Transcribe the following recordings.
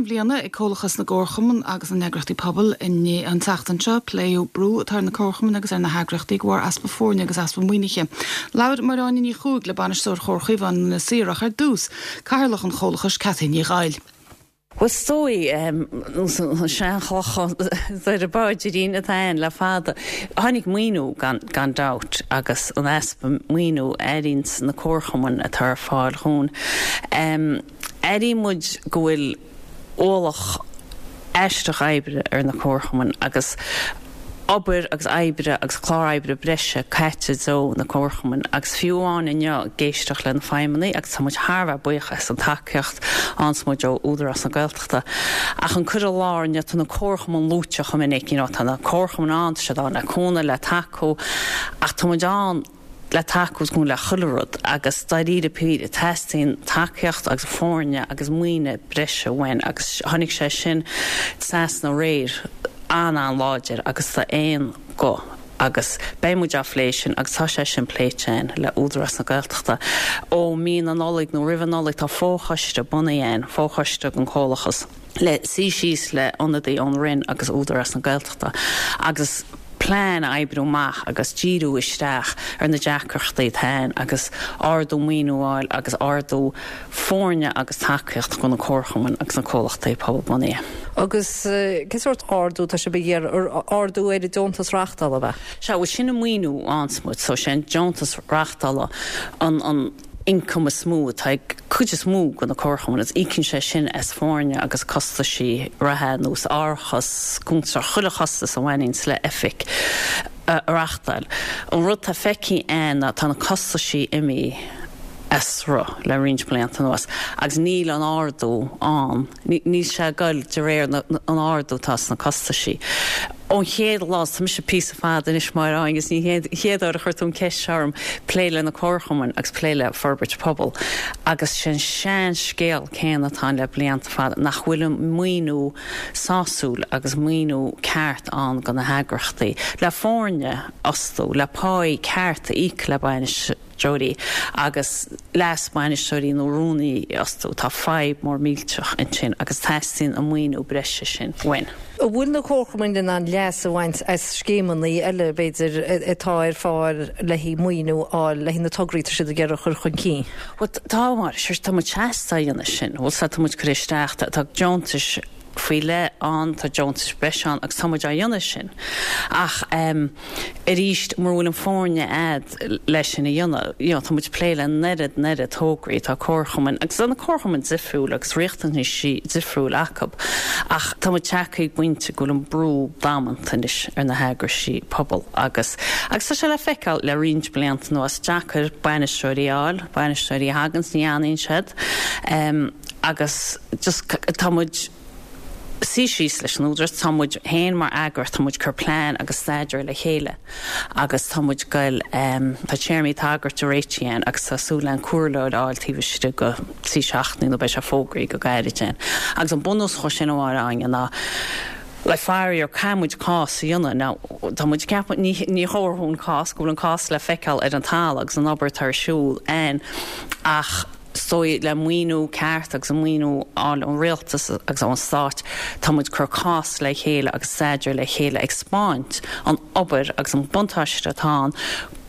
Cruinniú cinn bhliana ag Comhlachas na gComharchumann agus na nEagraíochtaí Pobail inné an tseachtain seo. Pléadh brú atá ar na comharchumainn agus ar na heagraíochtaí de bharr easpa foirne agus easpa maoinithe. Labhair Máire Áine Ní Chuaig le Bainisteoir Chomhar Chaomháin na Saor ach ar dtús, Cathaoirleach an Chomhlachais, Cathy Ní Dhaill. Bhuel, is dóigh, an seanchloch Doire Báidirín atá ann le fada. Tháinig maoiniú gan gan dabht agus an easpa maoiniú a airíonns na comharchumainn atá ar fáil dhúinn. Airíonn muid go bhfuil ualach aisteach oibre ar na comharchumainn agus obair agus oibre agus clár oibre breise caite i dtreo na comharchumainn agus fiú amháin inniu ag éisteacht le na feidhmeannaigh agus tá muid thar a bheith buíoch as an tacaíocht a fhaigheanns muid ó Údarás na Gaeltachta ach an cur i láthair inniu tá na comharchumainn luaite chomh minic you know tá na comharchumainn ann tá siad ann le cúnamh le tacú ach tá muid ann le tacú is le chuile rud agus dáiríre píre teastaíonn tacaíocht agus foirne agus maoine breise uainn agus tháinig sé sin trasna aréir an-an-láidir agus d'aon guth agus beidh muid á phlé sin agus tá sé sin pléite againn le Údarás na Gaeltachta. Ó mí na Nollag nó roimh an Nollaig tá fo-choiste bunaithe againn, fo-choiste den Chomhlachas le suí síos le ionadaí ón Roinn agus Údarás na Gaeltachta agus plean a oibriú amach agus díriú isteach ar na deacrachtaí atá ann agus ardú maoiniú a fháil agus ardú foirne agus tacaíocht do na comharchumainn agus na comhlachtaí pobalbhunaithe. Agus cén sórt ardú atá sibh ag iarraidh? Ardú ar an deontas reachtála, ab ea? Sea, bhuel sin an maoiniú a fhaigheanns muid, so sé an deontas reachtála an an. ioncam is mó atá ag cuid is mó de na comharchumainn agus íocann sé sin as foirne agus costaisí reatha ar nós árachas, cuntas, chuile chostas a bhaineanns le oifig a reachtáil. An rud atá feicthe againn ná tá na costaisí imithe as sruth le roinnt blianta anuas agus níl an ardú ann. Níl sé ag goil de réir an ardú atá sna costaisí. Ón chéad lá, tá mise píosa fada anois Máire Áine agus ní hé an chéad uair a chuir tú an ceist seo orm, plé le na comharchumainn agus plé le forbairt pobail agus sé an sean-scéal céanna atá ann le blianta fada, nach bhfuil an maoiniú sásúil agus maoiniú ceart ann do na heagraíochtaí le foirne a fhostú, le páí ceart a íoc le bainisteoirí. bainisteoirí agus leas-bhainisteoirí nó rúnaí a fhostú. Tá fadhb mór millteach ansin agus teastaíonn an maoiniú breise sin uainn. An bhfuil na comharchumainn in ann leas a bhaint as scéimeanna eile, b'fhéidir, atá ar fáil le haghaidh maoiniú a fháil le haghaidh na tograí atá siad ag iarraidh a chur chun cinn? Bhuel, tá, mar, tá muid seasta á dhéanamh sin. Bhuel, tá muid ag cur isteach, tá deontais faoi leith ann, tá deontais breise ann agus tá muid á dhéanamh sin. Ach arís, mura bhfuil an foirne a'd leis sin a dhéanamh, you know, tá muid ag plé le an oiread, an oiread tograí, tá comharchumainn, agus tá na comharchumainn difriúil agus riachtanaisí difriúil acu, ach tá muid tagtha ag pointe go bhfuil an brú damanta anois ar na heagraisí pobail agus, agus tá sé le feiceáil le roinnt blianta anuas, deacair bainisteoirí a fháil, bainisteoirí a thaganns, ní fhanann siad. Agus just tá muid suí síos leis an Údarás, tá muid féin mar eagraíocht, tá muid ag cur plean agus staidéar le chéile agus tá muid ag goil, tá téarmaí tagartha réitithe againn agus tá súil againn comhairleoir a fháil taobh istigh de thrí seachtainí nó beidh sé fógraithe go gairid againn. Agus an bunús dhó sin a Mháire Áine ná le faraor caithfidh muid cás a dhéanamh. Now tá muid ag ceapadh, ní ní thabharfainn cás, go bhfuil an cás le feiceáil ar an talamh agus an obair atá ar siúl againn ach, Is dóigh, le maoiniú ceart agus an maoiniú a fháil ón rialtas agus ón stát, tá muid ag cur cás le chéile agus staidéar le chéile ag 'spáint an obair agus an buntáiste atá ann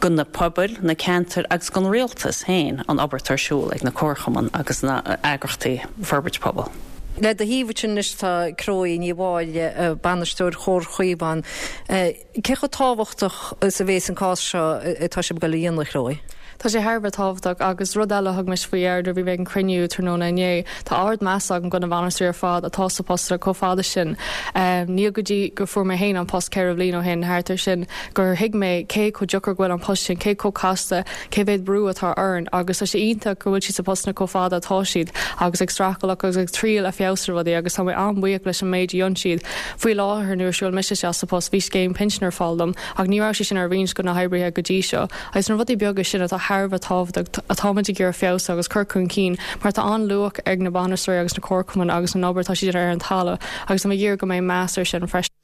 do na pobail, na ceantair agus don rialtas féin an obair atá ar siúl ag na comharchumainn agus na eagraíochtaí forbairt pobail. Le do thaobh ansin anois tá Chloe Ní Mháille, Bainisteoir Chomhar Chaomháin. Cé chomh tábhachtach is a bhéas an cás seo atá sibh ag dul a dhéanamh, a Chloe? Tá sé thar a bheith tábhachtach agus rud eile a thug mise faoi dheara nuair a bhí mé ag an cruinniú tráthnóna inné, tá ard-meas agam do na bainisteoirí ar fad atá sa post chomh fada sin. Níl go dtí gur fuair mé féin an post 4 bhliain ó shin, thart ar sin, gur thuig mé cé chomh deacair go bhfuil an post sin, cé chomh casta, cé mhéad brú atá orainn agus tá sé iontach go bhfuil siad sa postanna chomh fada atá siad agus ag streachailt agus ag triail a feabhsú rudaí agus tá mé an-bhuíoch leis an méid a dhein siad. Faoi láthair, nuair a shiúil mise isteach sa post, bhí scéim pinsin ar fáil dom, ach ní raibh sé sin ar roinnt do na hoibrithe go dtí seo. Agus na rudaí beaga sin atá thar a bheith tábhachtach, atáimid ag iarraidh feabhsú agus cur chun cinn, mar tá an-luach ag na bainisteoirí agus na comharchumainn agus an obair atá siad ag déanamh ar an talamh, agus táim ag iarraidh go mbeidh meas air sin freisin.